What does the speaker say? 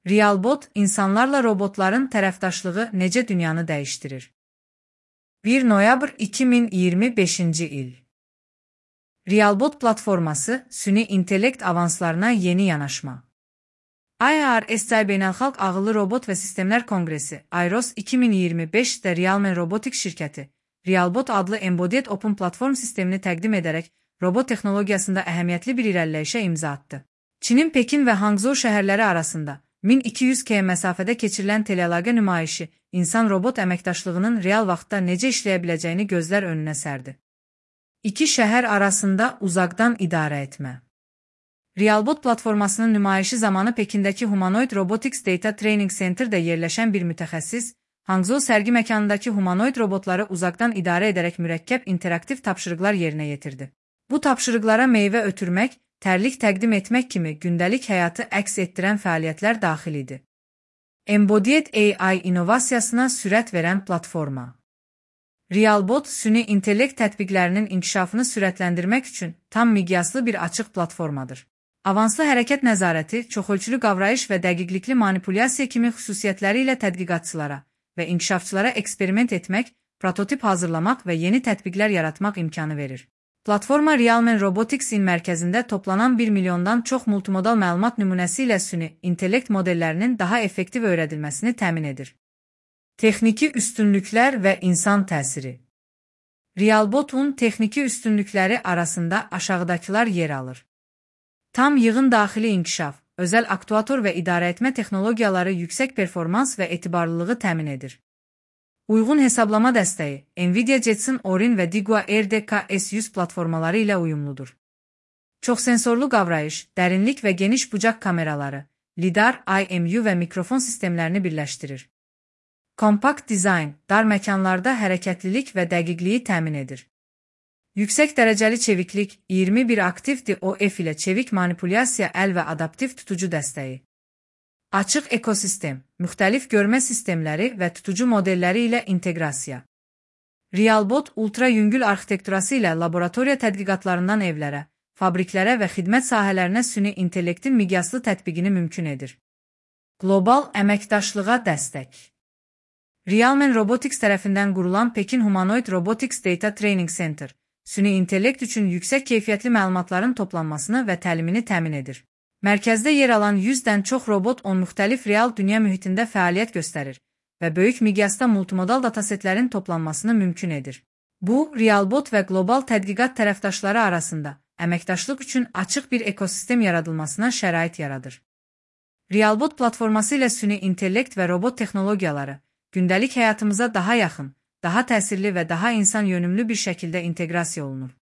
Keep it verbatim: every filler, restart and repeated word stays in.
Realbot, insanlarla robotların tərəfdaşlığı necə dünyanı dəyişdirir? bir noyabr iki min iyirmi beşinci il. Realbot platforması, süni intellekt avanslarına yeni yanaşma. I R S I Beynəlxalq Ağıllı Robot və Sistemlər Konqresi, I R O S iki min iyirmi beşdə Realmen Robotics şirkəti, Realbot adlı Embodied Open platform sistemini təqdim edərək, robot texnologiyasında əhəmiyyətli bir irəliləyişə imza atdı. Çinin Pekin və Hangzhou şəhərləri arasında min iki yüz kilometr məsafədə keçirilən teleəlaqə nümayişi, insan-robot əməkdaşlığının real vaxtda necə işləyə biləcəyini gözlər önünə sərdi. İki şəhər arasında uzaqdan idarə etmə. Realbot platformasının nümayişi zamanı Pekindəki Humanoid Robotics Data Training Center'də yerləşən bir mütəxəssis, Hangzhou sərgi məkanındakı humanoid robotları uzaqdan idarə edərək mürəkkəb interaktiv tapşırıqlar yerinə yetirdi. Bu tapşırıqlara meyvə ötürmək, tərlik təqdim etmək kimi gündəlik həyatı əks etdirən fəaliyyətlər daxil idi. Embodied A I innovasiyasına sürət verən platforma. Realbot, süni intellekt tətbiqlərinin inkişafını sürətləndirmək üçün tam miqyaslı bir açıq platformadır. Avanslı hərəkət nəzarəti, çoxölçülü qavrayış və dəqiqlikli manipulyasiya kimi xüsusiyyətləri ilə tədqiqatçılara və inkişafçılara eksperiment etmək, prototip hazırlamaq və yeni tətbiqlər yaratmaq imkanı verir. Platforma Realmen Robotics'in mərkəzində toplanan bir milyondan çox multimodal məlumat nümunəsi ilə süni intellekt modellərinin daha effektiv öyrədilməsini təmin edir. Texniki üstünlüklər və insan təsiri. Realbotun texniki üstünlükləri arasında aşağıdakılar yer alır. Tam yığın daxili inkişaf, özəl aktuator və idarəetmə texnologiyaları yüksək performans və etibarlılığı təmin edir. Uyğun hesablama dəstəyi, Nvidia Jetson Orin və Digua R D K S yüz platformaları ilə uyumludur. Çoxsensorlu qavrayış, dərinlik və geniş bucaq kameraları, lidar, I M U və mikrofon sistemlərini birləşdirir. Kompakt dizayn, dar məkanlarda hərəkətlilik və dəqiqliyi təmin edir. Yüksək dərəcəli çeviklik, iyirmi bir aktiv D O F ilə çevik manipulyasiya əl və adaptiv tutucu dəstəyi. Açıq ekosistem, müxtəlif görmə sistemləri və tutucu modelləri ilə inteqrasiya. Realbot, ultra yüngül arxitekturası ilə laboratoriya tədqiqatlarından evlərə, fabriklərə və xidmət sahələrinə süni intellektin miqyaslı tətbiqini mümkün edir. Qlobal əməkdaşlığa dəstək. Realmen Robotics tərəfindən qurulan Pekin Humanoid Robotics Data Training Center, süni intellekt üçün yüksək keyfiyyətli məlumatların toplanmasını və təlimini təmin edir. Mərkəzdə yer alan yüzdən çox robot on müxtəlif real dünya mühitində fəaliyyət göstərir və böyük miqyasda multimodal datasetlərin toplanmasını mümkün edir. Bu, Realbot və qlobal tədqiqat tərəfdaşları arasında əməkdaşlıq üçün açıq bir ekosistem yaradılmasına şərait yaradır. Realbot platforması ilə süni intellekt və robot texnologiyaları gündəlik həyatımıza daha yaxın, daha təsirli və daha insan yönümlü bir şəkildə inteqrasiya olunur.